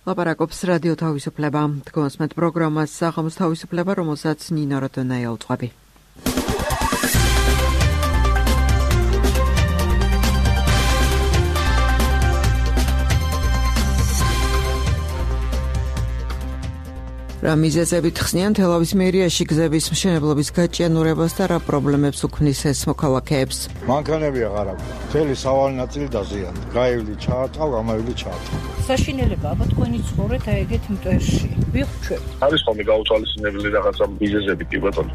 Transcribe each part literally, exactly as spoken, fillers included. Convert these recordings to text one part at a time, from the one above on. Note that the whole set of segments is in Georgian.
ლაპარაკობს რადიო თავისუფლება. თქვენსმეთ პროგრამას საღამოს თავისუფლება, რომელსაც ნინო როდონაია უძღვები. რა მიზეზებით ხსნიან თელავის მერიაში გზების მშენებლობის გაჭიანურებას და რა პრობლემებს უქმნის ეს მოქალაქეებს? მანქანები აღარ აქვს. მთელი სავალი ნაწილი დაზიანდა. გაივლი ჩაატყავ, გამაივლი ჩაატყავ. საშინელება აბა თქვენი ცხოვრეთ აი ეგეთ მტვერში. ვიხვჩვენ. არის ხოლმე გაუთვალისწინებელი რაღაცა მიზეზები კი ბატონო.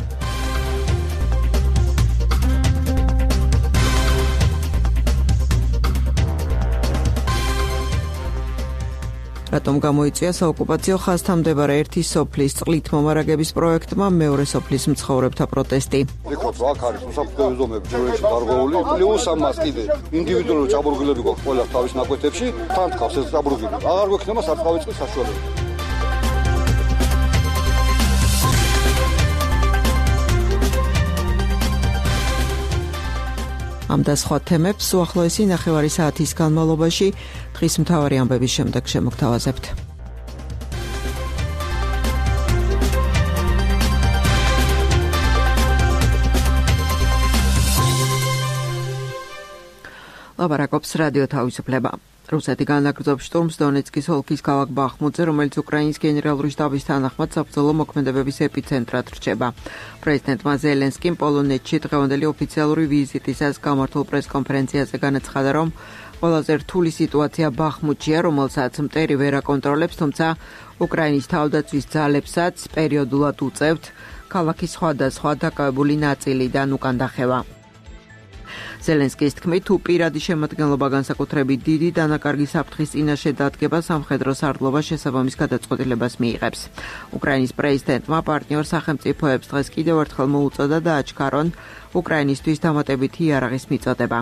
რატომ გამოიწვია საოკუპაციო ხაზთან მდებარე ერთი სოფლის წყლით მომარაგების პროექტმა მეორე სოფლის მცხოვრებთა პროტესტი. ეხოთ აქ არის უსაფრთხოების ზომები ჯერეში დარღვეული, პლუს ამას კიდე ინდივიდუალური ჭაბურღილები გვაქვს ყველა თავის ნაკვეთებში, თან თხავს ეს ჭაბურღილი. აღარ გვექნება სარწყავი წყლის საშუალება. ამ და სხვა თემებს უახლოესი ნახევარი საათის განმავლობაში დღის მთავარი ამბების შემდეგ შემოგთავაზებთ. ლაპარაკობს რადიო თავისუფლება. რუსეთი განაგრძობს შტურმს დონეცკის ოლქის ქალაქ ბახმუტზე, რომელიც უკრაინის გენერალური შტაბის თანახმად საბრძოლო მოქმედებების ეპიცენტრად რჩება. პრეზიდენტმა ზელენსკიმ პოლონეთში დღევანდელი ოფიციალური ვიზიტისას გამართულ პრესკონფერენციაზე განაცხადა, რომ ყველაზე რთული სიტუაცია ბახმუტშია, რომელსაც მტერი ვერ აკონტროლებს, თუმცა უკრაინის თავდაცვის ძალებსაც პერიოდულად უწევთ ქალაქის სხვადასხვა დაკავებული ნაწილიდან უკან დახევა. ზელენსკის თქმით, თუ პირადი შემადგენლობა განსაკუთრებით დიდი დანაკარგი საფრთხის წინაშე დადგება, სამხედრო სარდლობა შესაბამის გადაწყვეტილებას მიიღებს. უკრაინის პრეზიდენტმა პარტნიორ სახელმწიფოებს დღეს კიდევ ერთხელ მოუწოდა და აჩქარონ უკრაინისთვის დამატებითი იარაღის მიწოდება.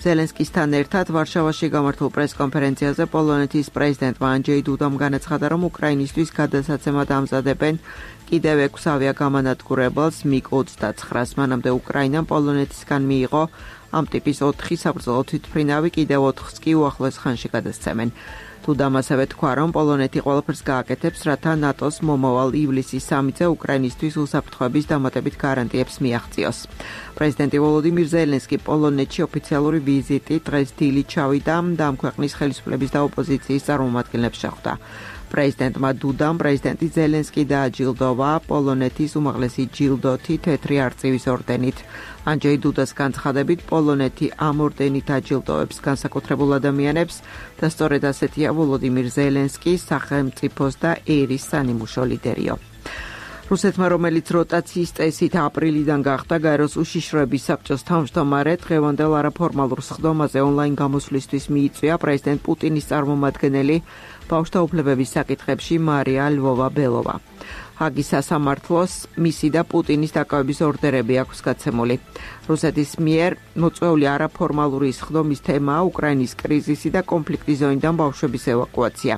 ზელენსკისთან ერთად ვარშავაში გამართულ პრესკონფერენციაზე პოლონეთის პრეზიდენტმა ანჯეი დუდამ განაცხადა, რომ უკრაინისთვის გადასაცემად ამზადებენ კიდევ ექვს ავიაგამანადგურებელს მიგ ოცდაცხრას. მანამდე უკრაინამ პოლონეთისგან მიიღო ამ ტიპის ოთხი საბრძოლო თვითმფრინავი, კიდევ ოთხს კი უახლოეს ხანში გადასცემენ. დუდამ ასევე თქვა, რომ პოლონეთი ყველაფერს გააკეთებს, რათა ნატოს მომავალ ივლისის სამიტზე უკრაინისთვის უსაფრთხოების დამატებით გარანტიებს მიაღწიოს. პრეზიდენტი ვოლოდიმირ ზელენსკი პოლონეთში ოფიციალური ვიზიტით დღეს დილით ჩავიდა და ამ ქვეყნის ხელისუფლების და ოპოზიციის წარმომადგენლებს შეხვდა. პრეზიდენტმა დუდამ პრეზიდენტი ზელენსკი დააჯილდოვა პოლონეთის უმაღლესი ჯილდოთი თეთრი არწივის ორდენით. ანჯეი დუდას განცხადებით, პოლონეთი ამ ორდენით აჯილდოვებს განსაკუთრებულ ადამიანებს და სწორედ ასეთია ვოლოდიმირ ზელენსკის სახელმწიფოს და ერის სანიმუშო ლიდერიო. რუსეთმა, რომელიც როტაციის წესით აპრილიდან გახდა გაეროს უშიშროების საბჭოს თავმჯდომარე, დღევანდელ არაფორმალურ სხდომაზე ონლაინ გამოსვლისთვის მიიწვია პრეზიდენტ პუტინის წარმომადგენელი ბავშვთა უფლებების საკითხებში მარია ლვოვა-ბელოვა. ჰაგის სასამართლოს მისი და პუტინის დაკავების ორდერები აქვს გაცემული. რუსეთის მიერ მოწვეული არაფორმალური სხდომის თემაა უკრაინის კრიზისი და კონფლიქტის ზონიდან ბავშვების ევაკუაცია.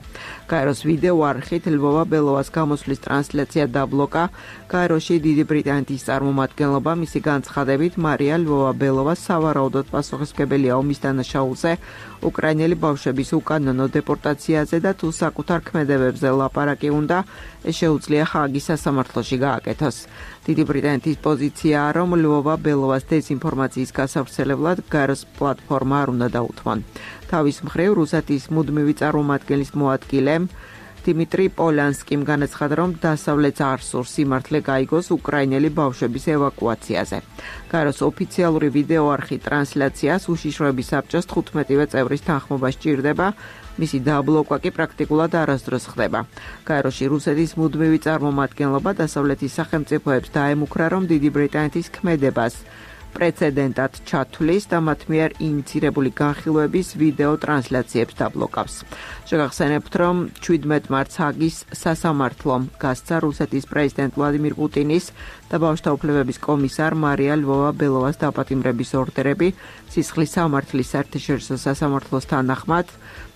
გაეროს ვიდეო არხით ლვოვა-ბელოვას გამოსვლის ტრანსლაცია დაბლოკა. გაეროში დიდი ბრიტანეთის წარმომადგენლობა მისი განცხადებით მარია ლვოვა-ბელოვა სავარაუდოდ პასუხისმგებელია ომის დანაშაულზე, უკრაინელი ბავშვების უკანონო დეპორტაციაზე და თუ საკუთარ ქმედებებზე ლაპარაკი უნდა, ეს შეუძლია ჰაგის სასამართლოში გააკეთოს. დიდი ბრიტანეთის პოზიციაა, რომ ლვოვა-ბელოვას დეზინფორმაციის გასავრცელებლად გაეროს პლატფორმა არ უნდა დაუთმონ. თავის მხრივ რუსეთის მუდმივი წარმომადგენლის მოადგილემ დიმიტრი პოლანსკიმ განაცხადა, რომ დასავლეთს არ სურს სიმართლე გაიგოს უკრაინელი ბავშვების ევაკუაციაზე. გაეროს ოფიციალური ვიდეო არხი ტრანსლაციას უშიშროების საბჭოს თხუთმეტივე წევრის თანხმობა სჭირდება, მისი დაბლოკვა კი პრაქტიკულად არასდროს ხდება. გაეროში რუსეთის მუდმივი წარმომადგენლობა დასავლეთის სახელმწიფოებს დაემუქრა, რომ დიდი ბრიტანეთის ქმედებას პრეცედენტად ჩათვლის და მათ მიერ ინიცირებული განხილვების ვიდეო ტრანსლაციებს დაბლოკავს. შეგახსენებთ, რომ შვიდმეტ მარტს ჰაგის სასამართლომ გასცა რუსეთის პრეზიდენტ ვლადიმირ პუტინის და ბავშვთა უფლებების კომისარ მარია ლვოვა-ბელოვას დაპატიმრების ორდერები. სისხლის სამართლის საერთაშორისო სასამართლოს თანახმად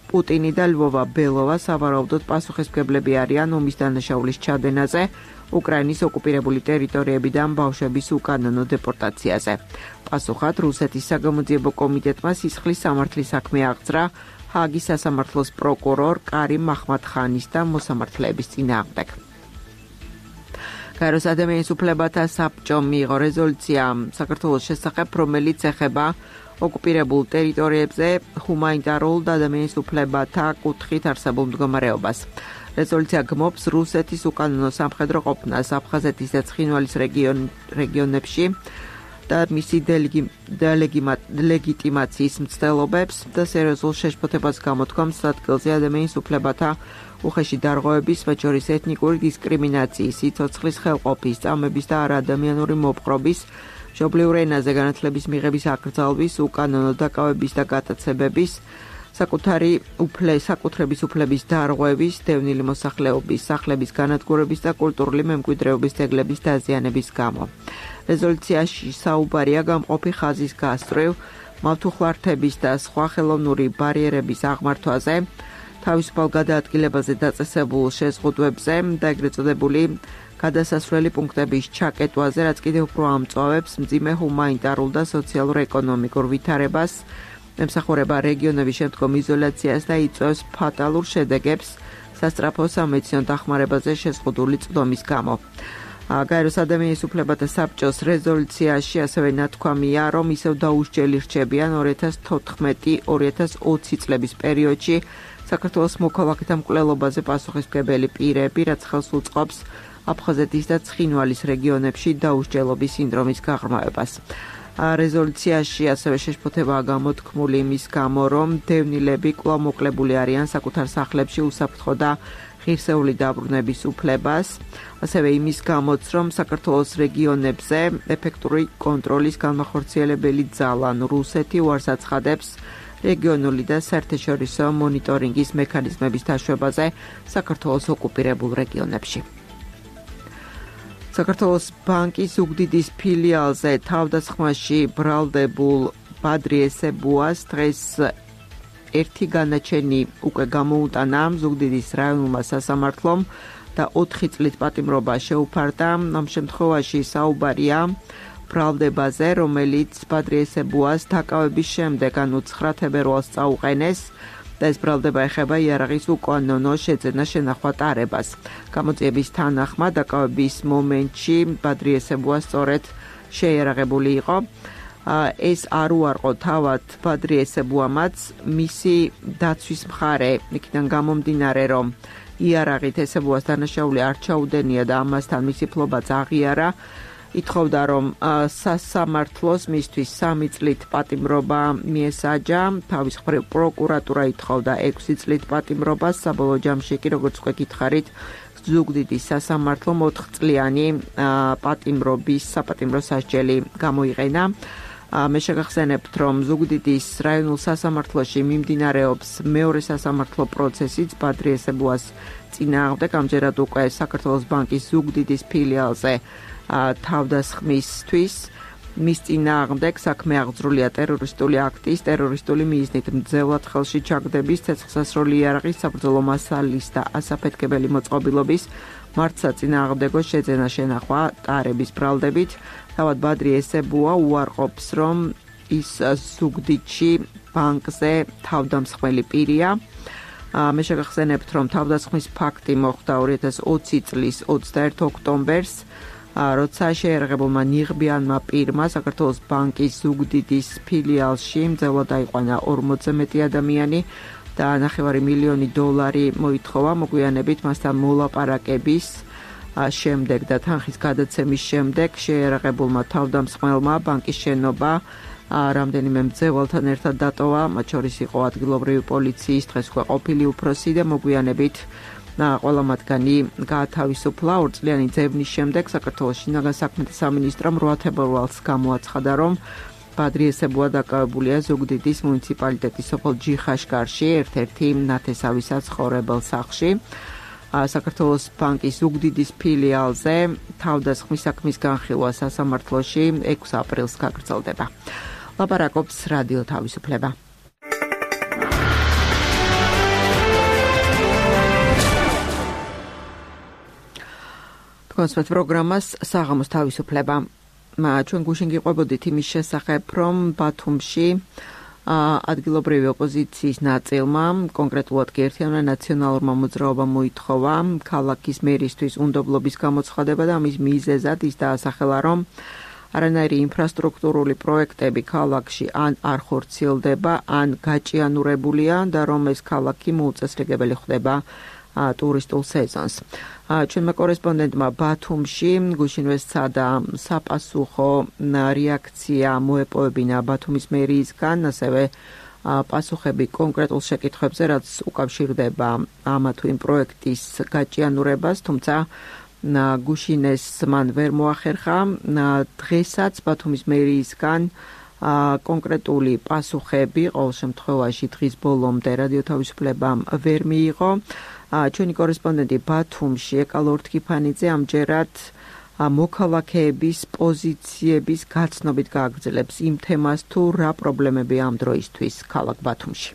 პუტინი და ლვოვა-ბელოვა სავარაუდოდ პასუხისმგებლები არიან ომის დანაშაულის ჩადენაზე, უკრაინის ოკუპირებული ტერიტორიებიდან ბავშვების უკანონო დეპორტაციაზე. პასუხად რუსეთის საგამოძიებო კომიტეტმა სისხლის სამართლის საქმე აღძრა ჰაგის სასამართლოს პროკურორ კარიმ მაჰმად-ხანის და მოსამართლეების წინააღმდეგ. გაეროს ადამიანის უფლებათა საბჭომ მიიღო რეზოლუცია საქართველოს შესახებ, რომელიც ეხება ოკუპირებულ ტერიტორიებზე ჰუმანიტარულ და ადამიანის უფლებათა კუთხით არსებულ მდგომარეობას. რეზოლუცია გმობს რუსეთის უკანონო სამხედრო ყოფნას აფხაზეთის და ცხინვალის რეგიონებში და მისი დელეგიტიმაციის მცდელობებს და სერიოზულ შეშფოთებას გამოთქვამს ადგილზე ადამიანის უფლებათა უხეში დარღვევების, მათ შორის ეთნიკური დისკრიმინაციის, სიცოცხლის ხელყოფის, წამების და არაადამიანური მოპყრობის, მშობლიურ ენაზე განათლების მიღების აკრძალვის, უკანონო დაკავების და გატაცებების, საკუთარი საკუთრების უფლების დარღვევის, დევნილი მოსახლეობის, სახლების განადგურების და კულტურული მემკვიდრეობის ძეგლების დაზიანების გამო. რეზოლუციაში საუბარია გამყოფი ხაზის გასწვრივ, მავთუხლართების და სხვა ხელოვნური ბარიერების აღმართვაზე, თავისუფალ გადაადგილებაზე დაწესებულ შეზღუდვებზე და ეგრეთ წოდებული გადასასვლელი პუნქტების ჩაკეტვაზე, რაც კიდევ უფრო ამწვავებს მძიმე ჰუმანიტარულ და სოციალურ-ეკონომიკურ ვითარებას, ემსახურება რეგიონების შემდგომ იზოლაციას და იწვევს ფატალურ შედეგებს სასწრაფო სამედიცინო დახმარებაზე შეზღუდული წვდომის გამო. გაეროს ადამიანის უფლებათა საბჭოს რეზოლუციაში ასევე ნათქვამია, რომ ისევ დაუსჯელი რჩებიან ორი ათას თოთხმეტი ორი ათას ოცი წლების პერიოდში საქართველოს მოქალაქეთა მკვლელობაზე პასუხისმგებელი პირები, რაც ხელს უწყობს აფხაზეთის და ცხინვალის რეგიონებში დაუსჯელობის სინდრომის გაღრმავებას. რეზოლუციაში ასევე შეშფოთებაა გამოთქმული იმის გამო, რომ დევნილები კვლავ მოკლებული არიან საკუთარ სახლებში უსაფრთხო და ღირსეული დაბრუნების უფლებას, ასევე იმის გამოც, რომ საქართველოს რეგიონებზე ეფექტური კონტროლის განმახორციელებელი ძალა რუსეთი უარს აცხადებს რეგიონული და საერთაშორისო მონიტორინგის მექანიზმების დაშვებაზე საქართველოს ოკუპირებულ რეგიონებში. საქართველოს ბანკის უგდიდის ფილიალზე თავდასხმაში ბრალდებულ ბადრი ესებუას დღეს ერთი განაჩენი უკვე გამოუტანა ზუგდიდის რაიონულმა სასამართლომ და ოთხი წლით პატიმრობა შეუფარდა. ამ შემთხვევაში საუბარია ბრალდებაზე, რომელიც ბადრი ესებუას დაკავების შემდეგ, ანუ ცხრა თებერვალს წაუყენეს და ეს ბრალდება ეხება იარაღის უკანონო შეძენა შენახვა ტარებას. გამოძიების თანახმად დაკავების მომენტში ბადრი ესებუა სწორედ შეიარაღებული იყო. ეს არ უარყო თავად ბადრი ესებუამაც, მისი დაცვის მხარე იქიდან გამომდინარე, რომ იარაღით ესებუას დანაშაული არ ჩაუდენია და ამასთან მისი ფლობაც აღიარა, ითხოვდა, რომ სასამართლოს მისთვის სამი წლით პატიმრობა მიესაჯა, თავის მხრივ პროკურატურა ითხოვდა ექვსი წლით პატიმრობას, საბოლოო ჯამში კი, როგორც უკვე გითხარით, ზუგდიდის სასამართლომ ოთხწლიანი პატიმრობის საპატიმრო სასჯელი გამოიყენა. მე შეგახსენებთ, რომ ზუგდიდის რაიონულ სასამართლოში მიმდინარეობს მეორე სასამართლო პროცესიც ბადრი ესებუას წინააღმდეგ, ამჯერად უკვე საქართველოს ბანკის ზუგდიდის ფილიალზე თავდასხმისთვის. მის წინააღმდეგ საქმე აღძრულია ტერორისტული აქტის, ტერორისტული მიზნით მძევლად ხელში ჩაგდების, ცეცხლსასროლი იარაღის, საბრძოლო მასალის და ასაფეთქებელი მოწყობილობის მართსაწინააღმდეგო შეძენა შენახვა ტარების ბრალდებით. თავად ბადრი ესებუა უარყოფს, რომ ის ზუგდიდში ბანკზე თავდამსხმელი პირია. მე შეგახსენებთ, რომ თავდასხმის ფაქტი მოხდა ორი ათას ოცი წლის ოცდაერთი ოქტომბერს, როცა შეიარაღებულმა ნიღბიანმა პირმა საქართველოს ბანკის ზუგდიდის ფილიალში მძევლად აიყვანა ორმოცზე მეტი ადამიანი და ნახევარი მილიონი დოლარი მოითხოვა, მოგვიანებით მასთან მოლაპარაკების შემდეგ და თანხის გადაცემის შემდეგ შეიარაღებულმა თავდამსხმელმა ბანკის შენობა რამდენიმე მძევალთან ერთად დატოვა, მათ შორის იყო ადგილობრივი პოლიციის დღეს უკვე ყოფილი უფროსი და მოგვიანებით ყველა მათგანი გაათავისუფლა. ორწლიანი ძებნის შემდეგ საქართველოს შინაგან საქმეთა სამინისტრომ რვა თებერვალს გამოაცხადა, რომ ბადრი ესებუა დაკავებულია ზუგდიდის მუნიციპალიტეტის სოფელ ჯიხაშკარში, ერთ-ერთი ნათესავი საცხოვრებელ სახლში. საქართველოს ბანკის ზუგდიდის ფილიალზე თავდასხმის საქმის განხილვა სასამართლოში ექვსი აპრილს გაგრძელდება. ლაპარაკობს რადიო თავისუფლება. კონსპეთ პროგრამას საღამოს თავისუფლება. ჩვენ გუშინ გიყვებოდით იმის შესახებ, რომ ბათუმში ადგილობრივი ოპოზიციის ნაწილმა, კონკრეტულად კი ერთიანმა ნაციონალურმა მოძრაობამ მოითხოვა ქალაქის მერისთვის უნდობლობის გამოცხადება და მის მიზეზად ის დაასახელა, რომ არანაირი ინფრასტრუქტურული პროექტები ქალაქში ან არ ხორციელდება, ან გაჭიანურებულია და რომ ეს ქალაქი მოუწესრიგებელი ხდება ტურისტულ სეზონს. ჩვენმა კორესპონდენტმა ბათუმში გუშინვე სცადა საპასუხო რეაქცია მოეპოვებინა ბათუმის მერიისგან, ასევე პასუხები კონკრეტულ შეკითხვებზე, რაც უკავშირდება ამა თუ იმ პროექტის გაჭიანურებას, თუმცა გუშინეს მან ვერ მოახერხა. დღესაც ბათუმის მერიისგან კონკრეტული პასუხები ყოველ შემთხვევაში დღის ბოლომდე რადიო თავისუფლებამ ვერ მიიღო. ჩვენი კორესპონდენტი ბათუმში ეკალო ორთქიფანიძე ამჯერად მოქალაქეების პოზიციების გაცნობით გააგრძელებს იმ თემას, თუ რა პრობლემები ამ დროისთვის ქალაქ ბათუმში.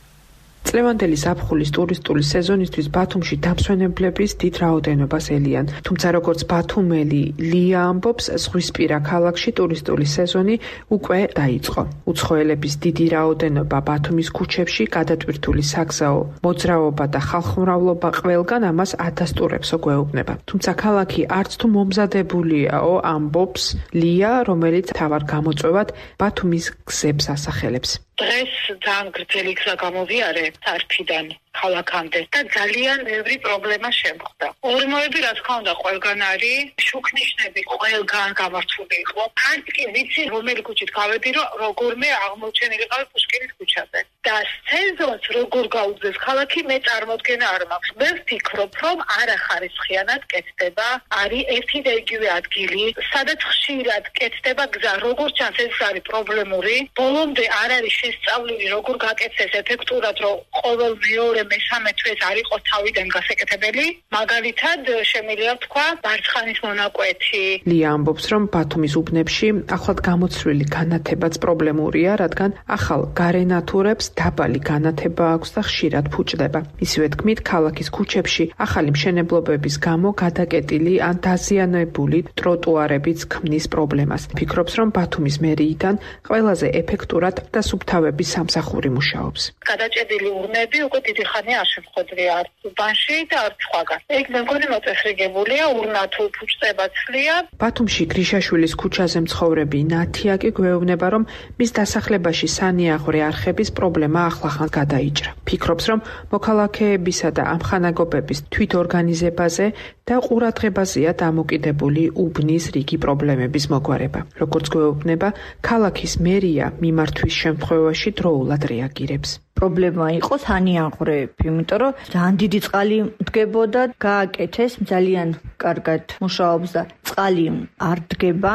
წლევანდელი ზაფხულის ტურისტული სეზონისთვის ბათუმში დამსვენებლების დიდ რაოდენობას ელიან. თუმცა როგორც ბათუმელი ლია ამბობს, ზღვისპირა ქალაქში ტურისტული სეზონი უკვე დაიწყო. უცხოელების დიდი რაოდენობა ბათუმის ქუჩებში, გადატვირთული საგზაო მოძრაობა და ხალხმრავლობა ყველგან ამას ადასტურებსო გვეუბნება. თუმცა ქალაქი არც თუ მომზადებულიაო, ამბობს ლია, რომელიც თავარ გამოწვევად ბათუმის გზებს ასახელებს. დღეს ძალიან გრძელი გზა გამოვიარე სარფიდან ქალაქამდე და ძალიან ბევრი პრობლემა შემხვდა. ორმოები რა თქმა უნდა ყველგან არის, შუქნიშნები ყველგან გამართული იყო. არც კი ვიცი რომელი ქუჩით გავედი, რომ როგორმე აღმოჩენილიყავი პუშკინის ქუჩაზე. და სეზონს როგორ გაუძლებს ქალაქი, მე წარმოდგენა არ მაქვს. მე ვფიქრობ, რომ არახარისხიანად კეთდება, არის ერთი და იგივე ადგილი, სადაც ხშირად კეთდება გზა, როგორც ჩანს ეს არის პრობლემური. ბოლომდე არ არის შესწავლილი, როგორ გაკეთდეს ეფექტურად, რომ ყოველ მეორე მესამე თვეს არ იყოს თავიდან გასაკეთებელი. მაგალითად, შემიძლია თქვა, მარცხანის მონაკვეთი. ლია ამბობს, რომ ბათუმის უბნებში ახლად გამოცვლილი განათებაც პრობლემურია, რადგან ახალ გარენატურებს დაბალი განათება აქვს და ხშირად ფუჭდება. ისივე თქმით, ქალაქის ქუჩებში ახალი მშენებლობების გამო გადაკეტილი ან დაზიანებული ტროტუარებიც ქმნის პრობლემას. ფიქრობს, რომ ბათუმის მერიიდან ყველაზე ეფექტურად და სუფთავების სამსახური მუშაობს. გადაჭედილი ურნები უკვე დიდი ხანია არ შემხვედრია არც უბანში და არც სხვაგან. ეგ მე მგონი მოწესრიგებულია, ურნა თუ ფუჭდება ცლია. ბათუმში გრიშაშვილის ქუჩაზე მცხოვრები ნათია კი გვეუბნება, რომ მის დასახლებაში სანიაღვრე არხების პრობლემა ახლახან გადაიჭრა. ფიქრობს, რომ მოქალაქეებისა და ამხანაგობების თვითორგანიზებაზე და ყურადღებაზეა დამოკიდებული უბნის რიგი პრობლემების მოგვარება. როგორც გვეუბნება, ქალაქის მერია მიმართვის შემთხვევაში დროულად რეაგირებს. პრობლემა იყო სანიაღვრეები, იმიტომ რომ ძალიან დიდი წყალი დგებოდა, გააკეთეს, ძალიან კარგად მუშაობს და წყალი არ დგება.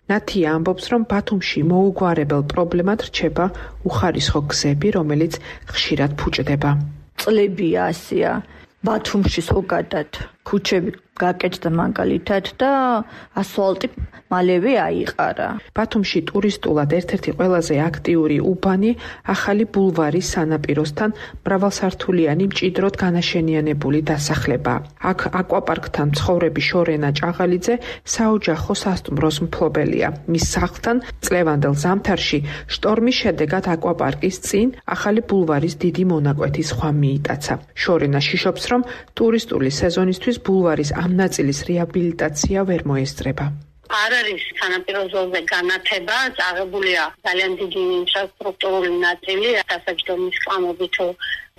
ნათია ამბობს, რომ ბათუმში მოუგვარებელ პრობლემად რჩება უხარისხო გზები, რომელიც ხშირად ფუჭდება. წლებია ასია, ბათუმში ზოგადად ქუჩები გაკეთდა მაგალითად და ასფალტი მალევე აიყარა. ბათუმში ტურისტულად ერთ-ერთი ყველაზე აქტიური უბანი ახალი ბულვარის სანაპიროსთან მრავალსართულიანი მჭიდროდ განაშენიანებული დასახლება. აქ აკვაპარკთან მცხოვრები შორენა ჭაღალიძე საოჯახო სასტუმროს მფლობელია. მის სახლთან წლევანდელ ზამთარში შტორმის შედეგად აკვაპარკის წინ ახალი ბულვარის დიდი მონაკვეთის ხვა მიიტაცა. შორენა შიშობს, რომ ტურისტული სეზონისთვის ბულვარის ამ ნაწილის რეაბილიტაცია ვერ მოესწრება. არ არის სანაპირო ზოლზე განათება, წაღებულია ძალიან დიდი ინფრასტრუქტურული ნაწილი, დასაჯდომის კამები თუ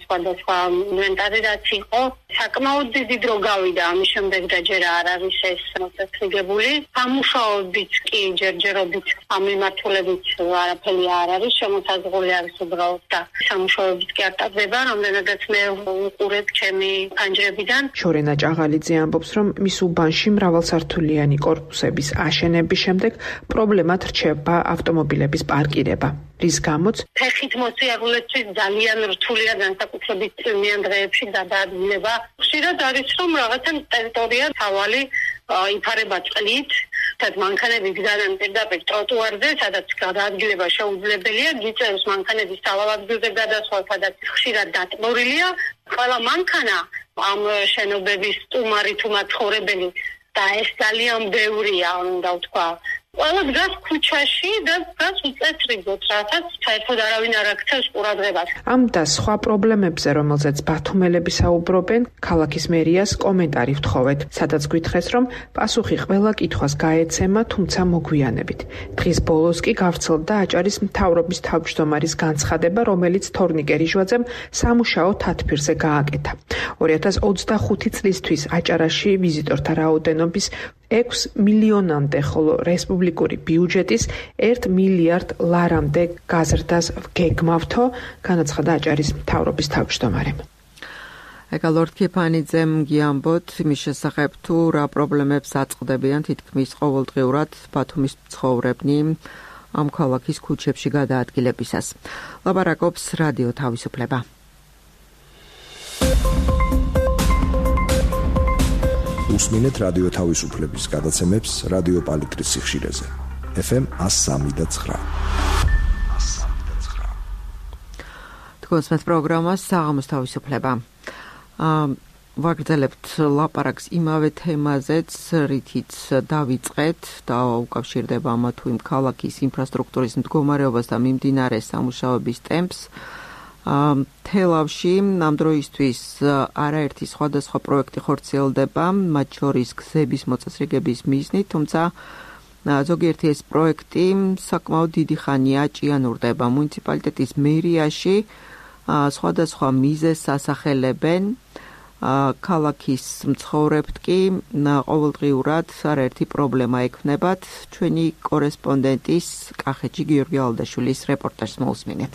სხვადასხვა ინვენტარი რაც იყო, საკმაოდ დიდი დრო გავიდა, ამის შემდეგ და ჯერ არ არის ეს მოწესრიგებული. სამუშაოებიც კი ჯერჯერობით ამ მიმართულებით არაფერი არ არის, შემოსაზღვრული არის უბრალოდ და სამუშაოებიც კი არ ტარდება, რამდენადაც მე უყურებ ჩემი პანჯრებიდან. შორენა ჭაღალიძე ამბობს, რომ მის უბანში მრავალსართულიანი კორპუსების აშენების შემდეგ პრობლემად რჩება ავტომობილების პარკირება. რის გამოც ფეხით მოსიარულეთვის ძალიან რთულია განსაკუთრებით წვიმიან დღეებში გადაადგილება. ხშირად არის რომ რაღაცა ტერიტორია თავალი იფარება წყლით, თად მანქანები გზადან პირდაპირ ტროტუარზე, სადაც გადაადგილება შეუძლებელია, გიწევს მანქანების თავალადგილზე გადასვლა, სადაც ხშირად დატბორილია. ყველა მანქანა ამ შენობების სტუმარი თუ მაცხოვრებელი და ეს ძალიან ბევრია, უნდა ვთქვა, ყველა დგას ქუჩაში და დგას უწესრიგოდ, რასაც საერთოდ არავინ არ აქცევს ყურადღებას. ამ და სხვა პრობლემებზე, რომელზეც ბათუმელები საუბრობენ, ქალაქის მერიას კომენტარი ვთხოვეთ, სადაც გითხრეს, რომ პასუხი ყველა კითხვას გაეცემა, თუმცა მოგვიანებით. დღის ბოლოს კი გავრცელდა აჭარის მთავრობის თავმჯდომარის განცხადება, რომელიც თორნიკე რიჟვაძემ სამუშაო თათბირზე გააკეთა. ორი ათას ოცდახუთი წლისთვის აჭარაში ვიზიტორთა რაოდენობის ექვს მილიონამდე, ხოლო რესპუბლიკური ბიუჯეტის ერთ მილიარდ ლარამდე გაზრდას გეგმავთო, განაცხადა აჭარის მთავრობის თავმჯდომარემ. ეკალორდ ქიფანიძემ გიამბოთ იმის შესახებ, თუ რა პრობლემებს აწყდებიან თითქმის ყოველდღიურად ბათუმის მცხოვრებნი ამ ქალაქის ქუჩებში გადაადგილებისას. ლაპარაკობს რადიო თავისუფლება. უსმინეთ რადიო თავისუფლების გადაცემებს რადიო პალიტრის სიხშირეზე. ეფ ემ one oh three point nine. თქვენს პროგრამას საღამოს თავისუფლება. ვაგრძელებთ ლაპარაკს იმავე თემაზეც, რითიც დავიწყეთ და უკავშირდება ამა თუ იმ ქალაქის ინფრასტრუქტურის მდგომარეობას და მიმდინარე სამუშაოების ტემპს. თელავში ამ დროისთვის არაერთი სხვადასხვა პროექტი ხორციელდება, მათ შორის გზების მოწესრიგების მიზნით, თუმცა ზოგიერთი ეს პროექტი საკმაოდ დიდი ხანია ჭიანურდება. მუნიციპალიტეტის მერიაში სხვადასხვა მიზეზს ასახელებენ, ქალაქის მცხოვრებთ კი ყოველდღიურად არაერთი პრობლემა ექმნებათ. ჩვენი კორესპონდენტის კახეთში გიორგი ალდაშვილის რეპორტაჟს მოусმინეთ.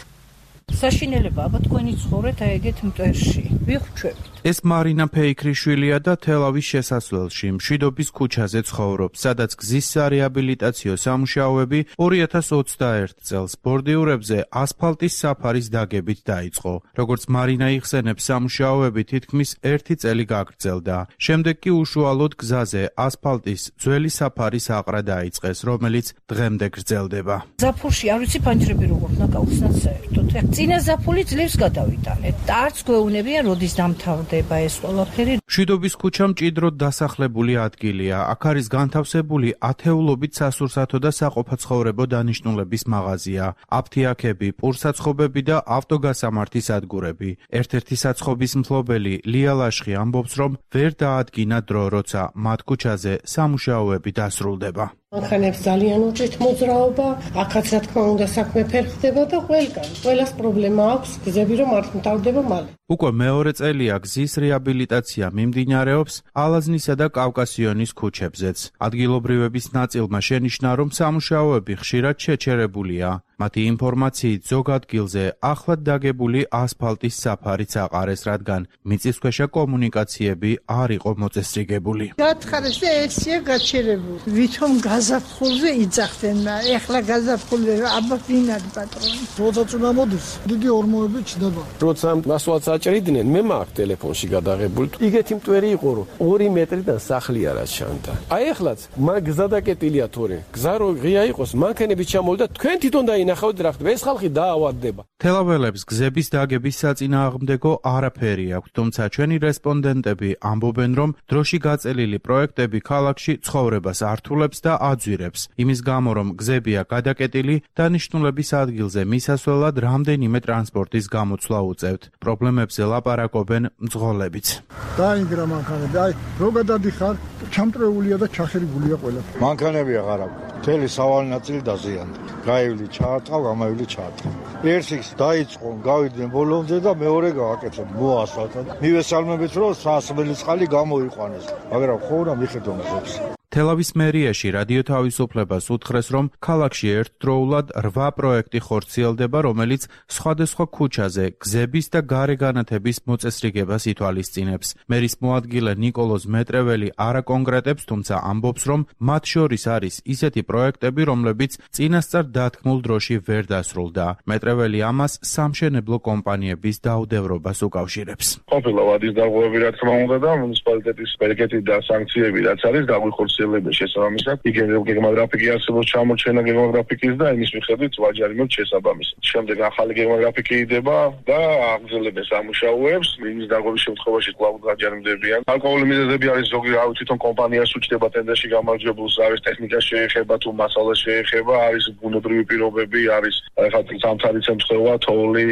საშინელება აბა თქვენი ცხოვრეთ აი ეგეთ მტერში. ვიხვჩებით. ეს მარინა ფეიქრიშვილია და თელავის შესასვლელში, მშვიდობის ქუჩაზე ცხოვრობს, სადაც გზის სარეაბილიტაციო სამუშაოები ორი ათას ოცდაერთი წელს ბორდიურებზე ასფალტის საფარის დაგებით დაიწყო. როგორც მარინა იხსენებს, სამუშაოები თითქმის ერთი წელი გაგრძელდა. შემდეგ კი უშუალოდ გზაზე ასფალტის ძველი საფარის აყრა დაიწყეს, რომელიც დღემდე გრძელდება. ზაფხულში არ ვიცი ფანჯრები როგორ ნაკაუხსნათ საერთოდ. წინა ზაფხული ძლივს გადავიტანეთ და არც გვეუბნებიან როდის დამთავრდება ეს ყველაფერი. მშვიდობის ქუჩა მჭიდროდ დასახლებული ადგილია. აქ არის განთავსებული ათეულობით სასურსათო და საყოფაცხოვრებო დანიშნულების მაღაზია, აფთიაქები, პურსაცხობები და ავტოგასამართის ადგურები. ერთ-ერთი საცხობის მფლობელი ლია ლაშხი ამბობს, რომ ვერ დაადგინა დრო, როცა მათ ქუჩაზე სამუშაოები დასრულდება. მანქანებს ძალიან უჭირთ მოძრაობა, აქაც რა თქმა უნდა საქმე ფერხდება და ყველგან. ყველას პრობლემა აქვს, გზები რომ არ მთავრდება მალე. უკვე მეორე წელია გზის რეაბილიტაცია მიმდინარეობს ალაზნისა და კავკასიონის ქუჩებზეც. ადგილობრივების ნაწილმა შენიშნა, რომ სამუშაოები ხშირად შეჩერებულია. მათი ინფორმაციით ზოგ ადგილზე ახლად დაგებული ასფალტის საფარიც აყარეს, რადგან მიწისქვეშა კომუნიკაციები არ იყო მოწესრიგებული. გათხარეს და ესია გაჩერებული. ვითომ გაზაფხულზე იძახდნენ, ეხლა გაზაფხულზე აბა ვინ არის პატრონი? როცა წუნა მოდის, დიდი ორმოები ჩდება. როცა მასვაც აჭრიდნენ, მე მაქვს ტელეფონში გადაღებული. იგეთი მტვერი იყო, რომ ორი მეტრიდან სახლი არა ჩანდა. აი ეხლაც მაგ გზა დაკეტილია თორე. გზა რო ღია იყოს, მანქანები ჩამოვიდა, თქვენ თვითონ დაინახავთ რა ხდება. ეს ხალხი დაავადდება. თელაველებს გზების დაგების საწინააღმდეგო არაფერი აქვს, თუმცა ჩვენი რესპონდენტები ამბობენ, რომ დროში გაწელილი პროექტები ქალაქში ცხოვრებას ართულებს და აძვირებს. იმის გამო, რომ გზებია გადაკეტილი, დანიშნულების ადგილზე მისასვლელად რამდენიმე ტრანსპორტის გამოცვლა უწევთ. პრობლემებზე ლაპარაკობენ მძღოლებიც. დაინგრა მანქანები, აი რო გადადიხარ, ჩამტრეულია და ჩახერგულია ყველა. მანქანები აღარ აქვს. მთელი სავალი ნაწილი დაზიანდა. გაივლი ჩაარტყავ, გამაივლი ჩაარტყავ. ერთის დაიწყო, გავიდნენ ბოლომდე და მეორე გააკეთე, მოასფალტად. მივესალმებით, რომ სასმელი წყალი გამოიყვანეს, მაგრამ ხოლმე მიხედო მზებს. თელავის მერიაში რადიო თავისუფლებას უთხრეს, რომ ქალაქში ერთდროულად რვა პროექტი ხორციელდება, რომელიც სხვადასხვა ქუჩაზე გზების და გარე განათების მოწესრიგებას ითვალისწინებს. მერის მოადგილე ნიკოლოზ მეტრეველი არ აკონკრეტებს, თუმცა ამბობს, რომ მათ შორის არის ისეთი პროექტები, რომლებიც წინასწარ დათქმულ დროში ვერ დასრულდა. მეტრეველი ამას სამშენებლო კომპანიების დაუდევრობას უკავშირებს. ყოფილა ვადის დარღვევები, რა თქმა უნდა, და მუნიციპალიტეტის ბერგეთი და სანქციები, რაც არის გაგვიხორციელდა გაგრძელება შესაბამისად. იგივე გეგმაგრაფიკი არსებობს ჩამორჩენა გეგმაგრაფიკის და იმის მიხედვით ვაჯარი მოთ შესაბამისად. შემდეგ ახალი გეგმაგრაფიკი იდება და აგრძელებენ სამუშაოებს. იმის დაგროვის შემთხვევაში კვლავ გაჯერმდებიან. ალკოჰოლის მიზეზები არის ზოგი რავი თვითონ კომპანიას უჩნდება ტენდერში გამარჯვებულს, არის ტექნიკა შეეხება თუ მასალა შეეხება, არის ბუნებრივი პირობები, არის ახლა სამთარი შემთხვევა, თოვლი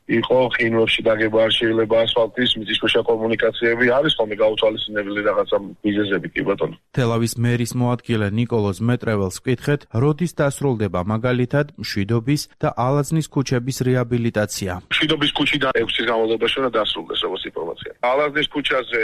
იყო ყინვებში დაგება არ შეიძლება ასფალტის მიწისქვეშა კომუნიკაციები არის ხოლმე გაუთვალისწინებელი რაღაცა მიზეზები კი ბატონო. თელავის მერის მოადგილე ნიკოლოზ მეტრეველს ვკითხეთ, როდის დასრულდება მაგალითად მშვიდობის და ალაზნის ქუჩების რეაბილიტაცია. მშვიდობის ქუჩიდან ექვსი წლის განმავლობაში უნდა დასრულდეს როგორც ინფორმაცია. ალაზნის ქუჩაზე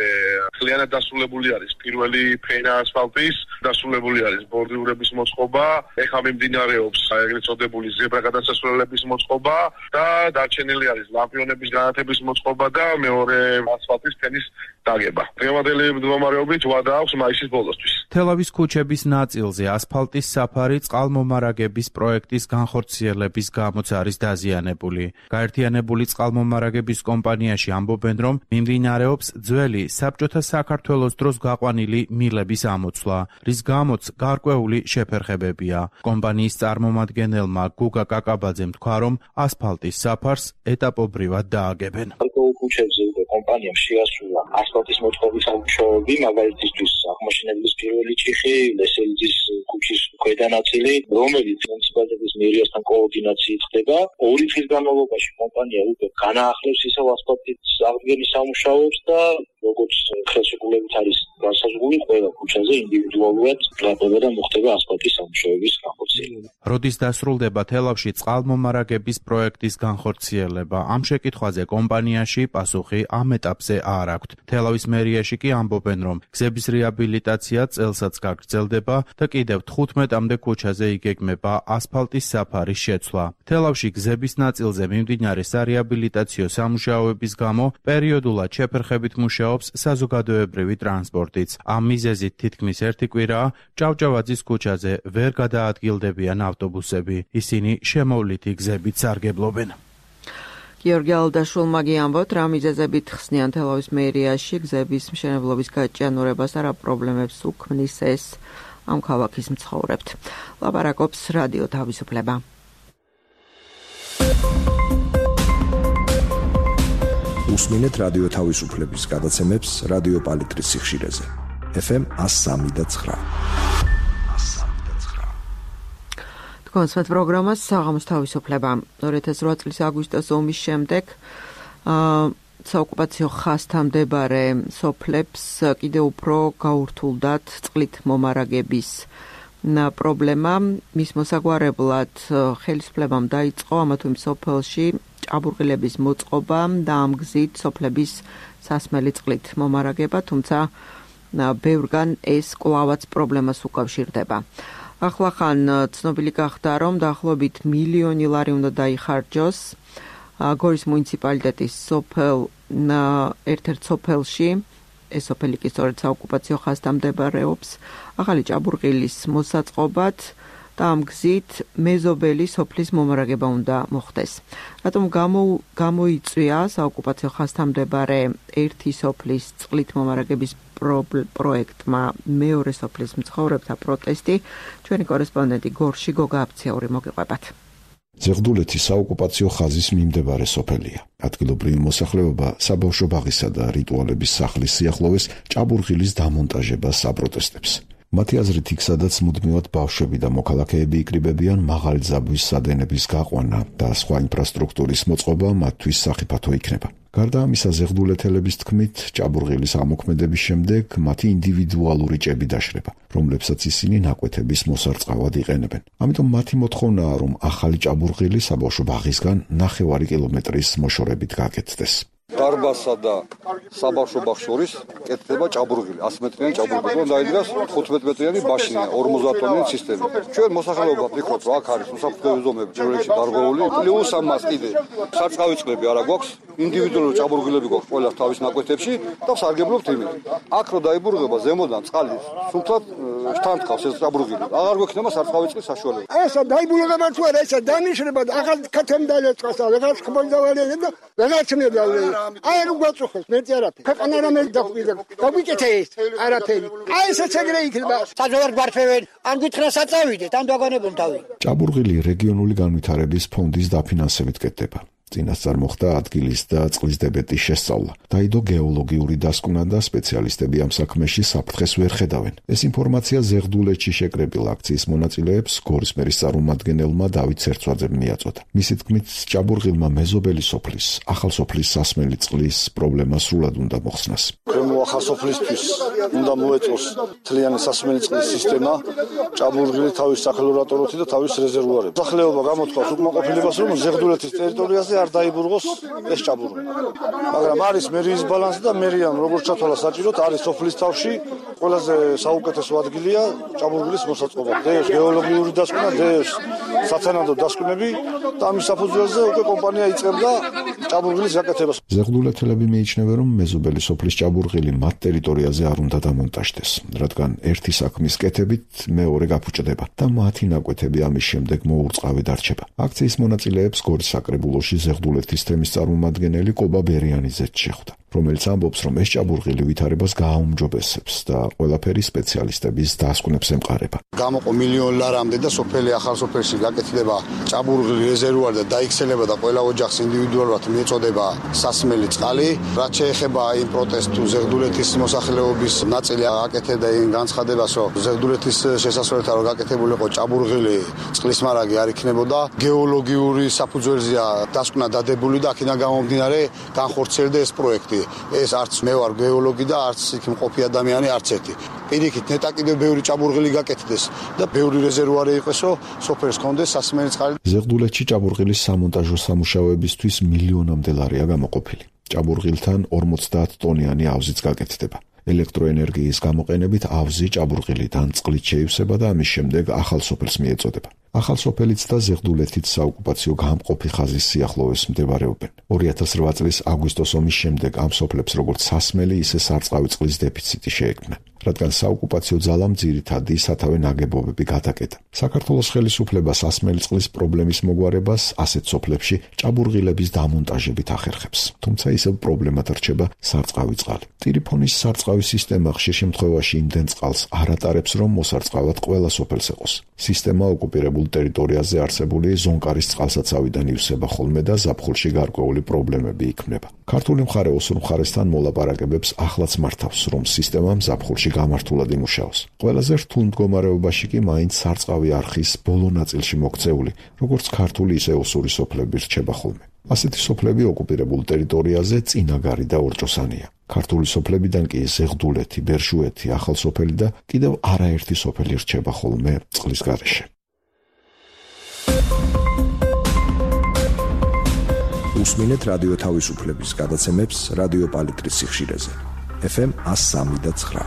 ძალიანად დასრულებული არის პირველი ფენა ასფალტის, დასრულებული არის ბორდიურების მოწყობა, ეხლა მიმდინარეობს ეგრეთ წოდებული ზებრა გადასასვლელების მოწყობა და დარჩენილი არის ლამპიონების განათების მოწყობა და მეორე ასფალტის ფენის დაგება. დღევანდელი მდგომარეობით ვადა აქვს მაისის ბოლოსთვის. თელავის ქუჩების ნაწილზე ასფალტის საფარი წყალმომარაგების პროექტის განხორციელების გამოც არის დაზიანებული. გაერთიანებული წყალმომარაგების კომპანიაში ამბობენ, რომ მიმდინარეობს ძველი საბჭოთა საქართველოს დროს გაყვანილი მილების ამოცვლა, რის გამოც გარკვეული შეფერხებებია. კომპანიის წარმომადგენელმა გუგა კაკაბაძემ თქვა, რომ ასფალტის საფარს ეტაპობრივად დააგებენ. ქუჩებზე უკვე კომპანიამ შეასრულა ასფალტის მოწყობის სამუშაოები, მაგალითისთვის აღმოჩენების პირველი ჭიხი, ლესელიძის ქუჩის ქვედა ნაწილი, რომელიც მუნიციპალიტეტის მერიასთან კოორდინაციით ხდება. ორი წლის განმავლობაში კომპანია უკვე განაახლებს ისევ ასფალტის აღდგენის სამუშაოებს და როგორც ხელშეკრულებით არის განსაზღვრული, ყველა ქუჩაზე ინდივიდუალურად გლაპება და მოხდება ასფალტის სამუშაოების განხორციელება. როდის დასრულდება თელავში წყალმომარაგების პროექტის განხორციელება? ამ შეკითხვაზე კომპანიაში პასუხი ამ ეტაპზე არ აქვთ. თელავის მერიაში კი ამბობენ, რომ გზების რეაბილიტაცია წელსაც გაგრძელდება და კიდევ თხუთმეტამდე ქუჩაზე იგეგმება ასფალტის საფარის შეცვლა. თელავში გზების ნაწილზე მიმდინარე სარეაბილიტაციო სამუშაოების გამო პერიოდულად შეფერხებით მუშაობს საზოგადოებრივი ტრანსპორტიც. ამ მიზეზით თითქმის ერთი კვირაა ჭავჭავაძის ქუჩაზე ვერ გადაადგილდებიან ავტობუსები. ისინი შემოვლითი გზებით სარგებლობენ. გიორგი ალდაშვილმა გიამბოთ, რა მიზეზებით ხსნიან თელავის მერიაში გზების მშენებლობის გაჭიანურებას და რა პრობლემებს უქმნის ეს ამ ქალაქის მცხოვრებთ. ლაპარაკობს რადიო თავისუფლება. უსმინეთ რადიო თავისუფლების გადაცემებს რადიო პალიტრის სიხშირეზე. ეფ ემ one oh three და nine. კონსვეთ პროგრამას საღამოს თავისუფლება. ორი ათას ოთხ წლის აგვისტოს ომის შემდეგ საოკუპაციო ხაზთან მდებარე სოფლებს კიდევ უფრო გაურთულდათ წყლით მომარაგების პრობლემა. მის მოსაგვარებლად ხელისუფლებამ დაიწყო ამა თუ იმ სოფელში ჭაბურღილების მოწყობა და ამ გზით სოფლების სასმელი წყლით მომარაგება, თუმცა ბევრგან ეს კვლავაც პრობლემას უკავშირდება. ახლახან ცნობილი გახდა, რომ დაახლოებით მილიონი ლარი უნდა დაიხარჯოს გორის მუნიციპალიტეტის სოფელ ერთ-ერთ სოფელში, ეს სოფელი კი სწორედ საოკუპაციო ხაზთან მდებარეობს, ახალი ჭაბურღილის მოსაწყობად და ამ გზით მეზობელი სოფლის მომარაგება უნდა მოხდეს. რატომ გამოიწვია საოკუპაციო ხაზთან მეორე ერთი სოფლის წყლით მომარაგების პროექტმა მეორე სოფლის მცხოვრებთა პროტესტი? ჩვენი კორესპონდენტი გორში გოგა აფციაური მოგიყვებათ. ზეღდულეთი საოკუპაციო ხაზის მიმდებარე სოფელია. ადგილობრივი მოსახლეობა საბავშვო ბაღისა და რიტუალების სახლის სიახლოვეს ჭაბურღილის დამონტაჟებას აპროტესტებს. მათი აზრით, იქ სადაც მუდმივად ბავშვები და მოქალაქეები იკრიბებიან, მაღალი ძაბვის სადენების გაყვანა და სხვა ინფრასტრუქტურის მოწყობა მათთვის სახიფათო იქნება. გარდა ამისა, ზეღდულეთელების თქმით, ჭაბურღილის ამოქმედების შემდეგ მათი ინდივიდუალური ჭები დაშრება, რომლებსაც ისინი ნაკვეთების მოსარწყავად იყენებენ. ამიტომ მათი მოთხოვნაა, რომ ახალი ჭაბურღილი საბავშვო ბაღისგან ნახევარი კილომეტრის მოშორებით გაკეთდეს. დარბაზსა და საბავშვო ბაღს შორის კეთდება ჭაბურღილი, one hundred მეტრიანი ჭაბურღილი, რომ დაიდგას ხუთმეტ მეტრიანი ბაშინა, ორმოცდაათ ტონიანი ცისტერნი. ჩვენ მოსახლეობა ვფიქრობთ, რომ აქ არის უსაფრთხოების ზომები ჯერში დარღვეული, პლუს ამას კიდე სარწყავი წყლები არა გვაქვს, ინდივიდუალური ჭაბურღილები გვაქვს ყველას თავის ნაკვეთებში და სარგებლობთ იმით. აქ რო დაიბურღება ზემოდან წყალი სულთად თანთქავს ეს ჭაბურღილი. აღარ გვექნება სარწყავი წყლის საშუალება. ესა დაიბულება თუ არა, ესა დანიშნება, ახალ ქათემდალეწყას, რაღაც ხმონდავანები და რაღაც ნედალე. აი რო გვაწუხებს, მეტი არაფერი. ქვეყანა რამე დაგვიდა. დაგვიკეთე ეს არაფერი. აი ესეც ეგრე იქნება. საჯარო გვარფევენ, ან გითხრას აწავიდეთ, ან დაგანებულ თავი. ჭაბურღილი რეგიონული განვითარების ფონდის დაფინანსებით კეთდება. წინასწარ მოხდა ადგილის და წყლის დებეტის შესწავლა. დაიდო გეოლოგიური დასკვნა და სპეციალისტები ამ საქმეში საფრთხეს ვერ ხედავენ. ეს ინფორმაცია ზეღდულეთში შეკრებილ აქციის მონაწილეებს გორის მერის წარმომადგენელმა დავით ცერცვაძემ მიაწოდა. მისი თქმით, ჭაბურღილმა მეზობელი სოფლის, ახალ სოფლის სასმელი წყლის პრობლემა სრულად უნდა მოხსნას. ქვემო ახალ სოფლისთვის უნდა მოეწოს მთლიანი სასმელი წყლის სისტემა, ჭაბურღილი თავის სახელორატოროთი და თავის რეზერვუარები. სახლებობა გამოთქვას უკმაყოფილებას, რომ ზეღდულეთის ტერიტორიაზე არ დაიბურღოს ეს ჭაბურღილი. მაგრამ არის მერიის ბალანსი და მერიამ როგორც ჩათვალა საჭიროდ არის სოფლის თავში ყველაზე საუკეთესო ადგილია ჭაბურღილის მოსაწყობად. დეოს გეოლოგიური დასკვნა, დეოს სათანადო დასკვნები და ამის საფუძველზე უკვე კომპანია იწყებდა ჭაბურღილის გაკეთებას. ზეღდულეთელები მიიჩნევენ, რომ მეზობელი სოფლის ჭაბურღილი მათ ტერიტორიაზე არ უნდა დამონტაჟდეს, რადგან ერთი საქმის კეთებით მეორე გაფუჭდება და მათი ნაკვეთები ამის შემდეგ მოურწყავად არჩება. აქციის მონაწილეებს გორის საკრებულოში ზეღდულეთის თემის წარმომადგენელი კობა ბერიანიძეც შეხვდა, რომელიც ამბობს, რომ ეს ჭაბურღილი ვითარებას გააუმჯობესებს და ყველაფერი სპეციალისტების დასკვნებს ემყარება. გამოყო მილიონი ლარამდე და სოფელი ახალ სოფელში გაკეთდება ჭაბურღილი რეზერვუარი და დაიქცელება და ყველა ოჯახს ინდივიდუალურად მიეწოდება სასმელი წყალი. რაც შეეხება იმ პროტესტს თუ ზეღდულეთის მოსახლეობის ნაწილი აკეთებდა იმ განცხადებას, რომ ზეღდულეთის შესასვლელთან რომ გაკეთებულიყო ჭაბურღილი წყლის მარაგი არ იქნებოდა, გეოლოგიური საფუძველზეა დასკვნა დადებული და აქედან გამომდინარე განხორციელდა ეს პროექტი. ეს არც მე ვარ გეოლოგი და არც იქ მყოფი ადამიანი არც ერთი. პირიქით ნეტა კიდევ ბევრი ჭაბურღილი გაკეთდეს და ბევრი რეზერვუარი იყოსო, სოფელს კონდეს სასმელი წყალი. ზეღდულეთში ჭაბურღილის სამონტაჟო სამუშაოებისთვის მილიონამდე ლარია გამოყოფილი. ჭაბურღილთან ორმოცდაათ ტონიანი ავზიც გაკეთდება. ელექტროენერგიის გამოყენებით ავზი ჭაბურღილიდან წყლით შეივსება და ამის შემდეგ ახალ სოფელს მიეწოდება. ახალ სოფელიც და ზეღდულეთით საოკუპაციო გამყოფი ხაზის სიახლოვეს მდებარეობენ. ორი ათას რვა წლის აგვისტოს ომის შემდეგ ამ სოფლებს როგორც სასმელი, ისე სარწყავი წყლის დეფიციტი შეექმნა, რადგან საოკუპაციო ძალამ ძირითადი სათავე ნაგებობები გადაკეტა. საქართველოს ხელისუფლება სასმელი წყლის პრობლემის მოგვარებას ასეთ სოფლებში ჭაბურღილების დამონტაჟებით ახერხებს. თუმცა ისევ პრობლემად რჩება სარწყავი წყალი. ტირიფონის სარწყავი სისტემა ხშირ შემთხვევაში იმდენ წყალს არ ატარებს, რომ მოსარწყავად ყველა სოფელს ეყოს. სისტემა ოკუპირებულ ტერიტორიაზე არსებული ზონკარის წყალსაცავიდან ივსება ხოლმე და ზაფხულში გარკვეული პრობლემები იქმნება. ქართული მხარე ოსურ მხარესთან მოლაპარაკებებს ახლაც მართავს, რომ სისტემამ ზაფხულში გამართულად იმუშაოს. ყველაზე რთულ მდგომარეობაში კი მაინც სარწყავი არხის ბოლო ნაწილში მოქცეული, როგორც ქართული ისე ოსური სოფლები რჩება ხოლმე. ასეთი სოფლები ოკუპირებულ ტერიტორიაზე წინაგარი და ორჭოსანია. ქართული სოფლებიდან კი ზეღდულეთი, ბერშუეთი, ახალ სოფელი და კიდევ არაერთი სოფელი რჩება ხოლმე წყლის გარეშე. უსმინეთ რადიო თავისუფლების გადაცემებს რადიო პალიტრის სიხშირეზე. ეფ ემ εκατო სამი და ცხრა.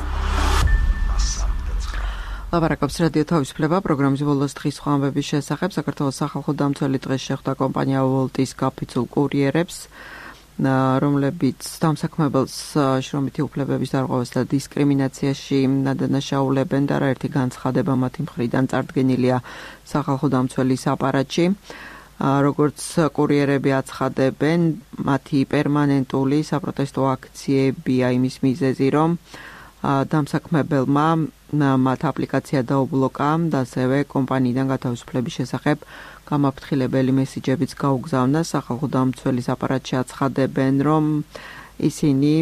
ლაპარაკობს რადიო თავისუფლება პროგრამის ბოლოს დღის სხვა ამბების შესახებ. საქართველოს სახალხო დამცველი დღეს შეხვდა კომპანია ვოლტის კაფიცულ კურიერებს, რომლებიც დამსაქმებელს შრომითი უფლებების დარღვევას და დისკრიმინაციაში დანაშაულებენ და არაერთი განცხადება მათი მხრიდან წარდგენილია სახალხო დამცველის აპარატში. როგორც კურიერები აცხადებენ, მათი პერმანენტული საპროტესტო აქციებია იმის მიზეზი, რომ დამსაქმებელმა მათ აპლიკაცია დაუბლოკა და ასევე კომპანიიდან გათავისუფლების შესახებ გამაფრთხილებელი მესიჯებიც გაუგზავნა. სახალხო დამცველის აპარატში აცხადებენ, რომ ისინი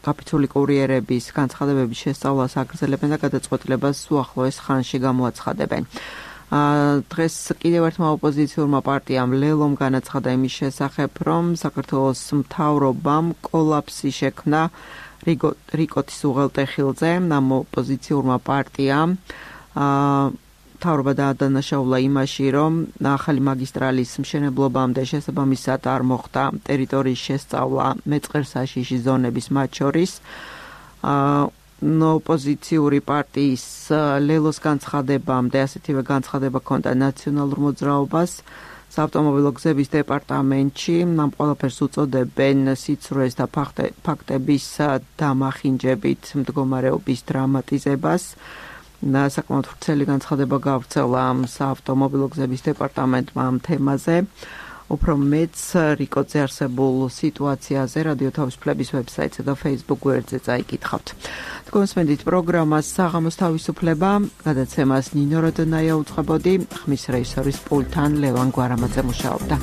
კაფიცული კურიერების განცხადებების შესწავლას აგრძელებენ და გადაწყვეტილებას უახლოეს ხანში გამოაცხადებენ. დღეს კიდევ ერთმა ოპოზიციურმა პარტიამ ლელომ განაცხადა იმის შესახებ, რომ საქართველოს მთავრობამ კოლაფსი შექმნა რიკოტის უღელტეხილზე. ამ ოპოზიციურმა პარტიამ მთავრობა დაადანაშაულა იმაში, რომ ახალი მაგისტრალის მშენებლობამდე შესაბამისად არ მოხდა ტერიტორიის შესწავლა მეწყერსაშიში ზონების მათ შორის. ოპოზიციური პარტიის ლელოს განცხადებამდე ასეთივე განცხადება ჰქონდა ნაციონალურ მოძრაობას, საავტომობილო გზების დეპარტამენტში ამ ყველაფერს უწოდებენ სიცრუეს და ფაქტების დამახინჯებით მდგომარეობის დრამატიზებას. საკმაოდ ვრცელი განცხადება გავრცელა საავტომობილო გზების დეპარტამენტმა ამ თემაზე. უფრო მეც რიკოძე არსებულ სიტუაციაზე რადიო თავისუფლების ვებსაიტსა და Facebook გვერდზე წაიკითხავთ. თქვენსმენდით პროგრამას საღამოს თავისუფლება, გადაცემას ნინო როდონაია უწყებოდი, ხმის რეჟისორის პულტთან ლევან გვარამაძე მუშაობდა.